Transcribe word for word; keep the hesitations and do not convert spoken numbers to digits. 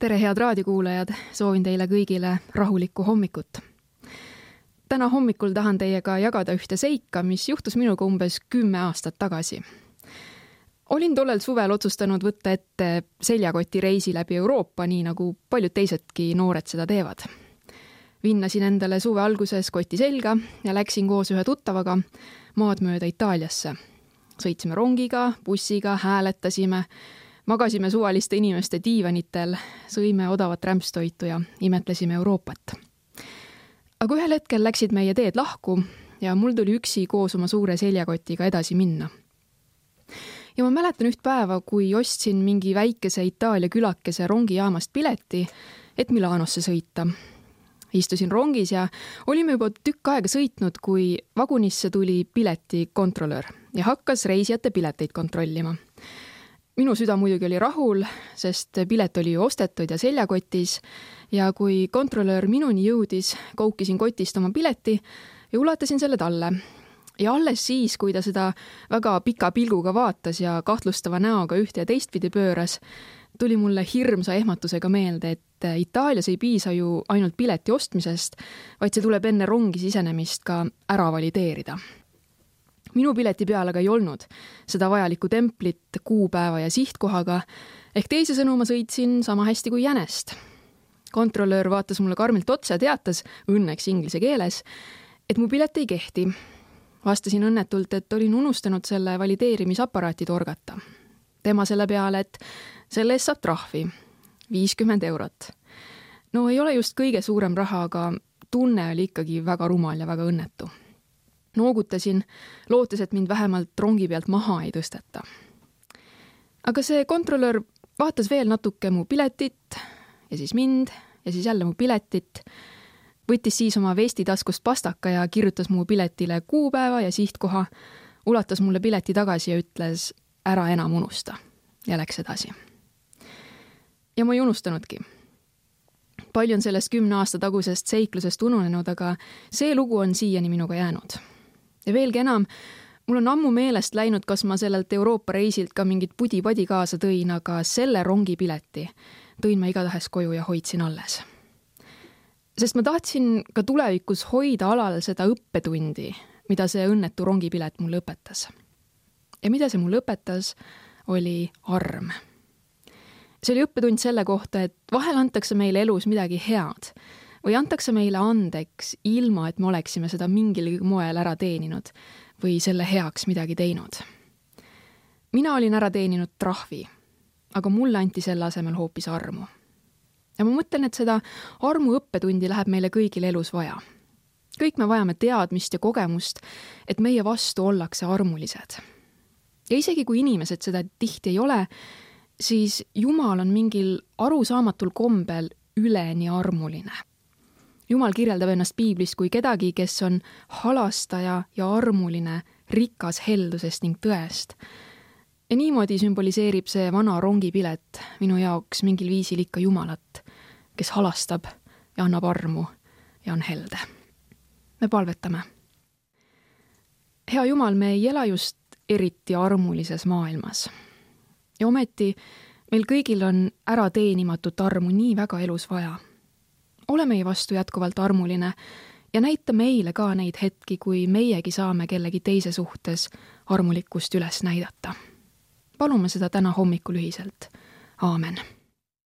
tere, head raadiokuulajad, soovin teile kõigile rahulikku hommikut. Täna hommikul tahan teiega jagada ühte seika, mis juhtus minuga umbes kümme aastat tagasi. Olin tollel suvel otsustanud võtta ette seljakoti reisi läbi Euroopa, nii nagu paljud teisedki noored seda teevad. Vinnasin endale suve alguses koti selga ja läksin koos ühe tuttavaga maad mööda Itaaliasse. Sõitsime rongiga, bussiga, hääletasime, magasime suvaliste inimeste diivanitel, sõime odavat rämpstoitu ja imetlesime Euroopat. Aga ühel hetkel läksid meie teed lahku ja mul tuli üksi koos oma suure seljakotiga edasi minna. Ja ma mäletan üht päeva, kui ostsin mingi väikese Itaalia külakese rongijaamast pileti, et Milanosse sõita. Istusin rongis ja olime juba tükk aega sõitnud, kui vagunisse tuli piletikontrolör ja hakkas reisijate pileteid kontrollima. Minu süda muidugi oli rahul, sest pilet oli ju ostetud ja seljakotis ja kui kontrolör minuni jõudis, koukisin kotist oma pileti ja ulatasin selle talle. Ja alles siis, kui ta seda väga pika pilguga vaatas ja kahtlustava näoga ühte ja teistpidi pööras, tuli mulle hirmsa ehmatusega meelde, et Itaalias ei piisa ju ainult pileti ostmisest, vaid see tuleb enne rongi sisenemist ka ära valideerida. Minu pileti peal aga ei olnud seda vajalikku templit kuupäeva ja sihtkohaga, ehk teise sõnu ma sõitsin sama hästi kui jänest. Kontrolöör vaatas mulle karmilt otsa ja teatas, õnneks inglise keeles, et mu pilet ei kehti. Vastasin õnnetult, et olin unustanud selle valideerimisaparaati torgata. Tema selle peale, et selle eest saab trahvi, viiskümmend eurot. No ei ole just kõige suurem raha, aga tunne oli ikkagi väga rumal ja väga õnnetu. Noogutasin, lootes, et mind vähemalt rongi pealt maha ei tõsteta. Aga see kontrolör vaatas veel natuke mu piletit ja siis mind ja siis jälle mu piletit, võttis siis oma vesti taskust pastaka ja kirjutas mu piletile kuupäeva ja sihtkoha, ulatas mulle pileti tagasi ja ütles, ära enam unusta ja läks edasi. Ja ma ei unustanudki. Palju on sellest kümne aasta tagusest seiklusest ununenud, aga see lugu on siiani minuga jäänud. Ja veelgi enam, mul on ammu meelest läinud, kas ma sellelt Euroopa reisilt ka mingit pudi-padi kaasa tõin, aga selle rongi pileti tõin ma igatahes koju ja hoidsin alles. Sest ma tahtsin ka tulevikus hoida alal seda õppetundi, mida see õnnetu rongipilet mulle õpetas. Ja mida see mulle õpetas, oli arm. See oli õppetund selle kohta, et vahel antakse meile elus midagi head või antakse meile andeks ilma, et me oleksime seda mingil moel ära teeninud või selle heaks midagi teinud. Mina olin ära teeninud trahvi, aga mulle anti selle asemel hoopis armu. Ja ma mõtlen, et seda armu õppetundi läheb meile kõigil elus vaja. Kõik me vajame teadmist ja kogemust, et meie vastu ollakse armulised. Ja isegi kui inimesed seda tihti ei ole, siis Jumal on mingil arusaamatul kombel üleni armuline. Jumal kirjeldab ennast Piiblist kui kedagi, kes on halastaja ja armuline, rikas heldusest ning tõest. Ja niimoodi sümboliseerib see vana rongipilet minu jaoks mingil viisil ikka Jumalat, kes halastab ja annab armu ja on helde. Me palvetame. Hea Jumal, me ei ela just eriti armulises maailmas. Ja ometi meil kõigil on ära teenimatut armu nii väga elus vaja. Ole meie vastu jätkuvalt armuline ja näita meile ka neid hetki, kui meiegi saame kellegi teise suhtes armulikkust üles näidata. Palume seda täna hommikul ühiselt. Aamen.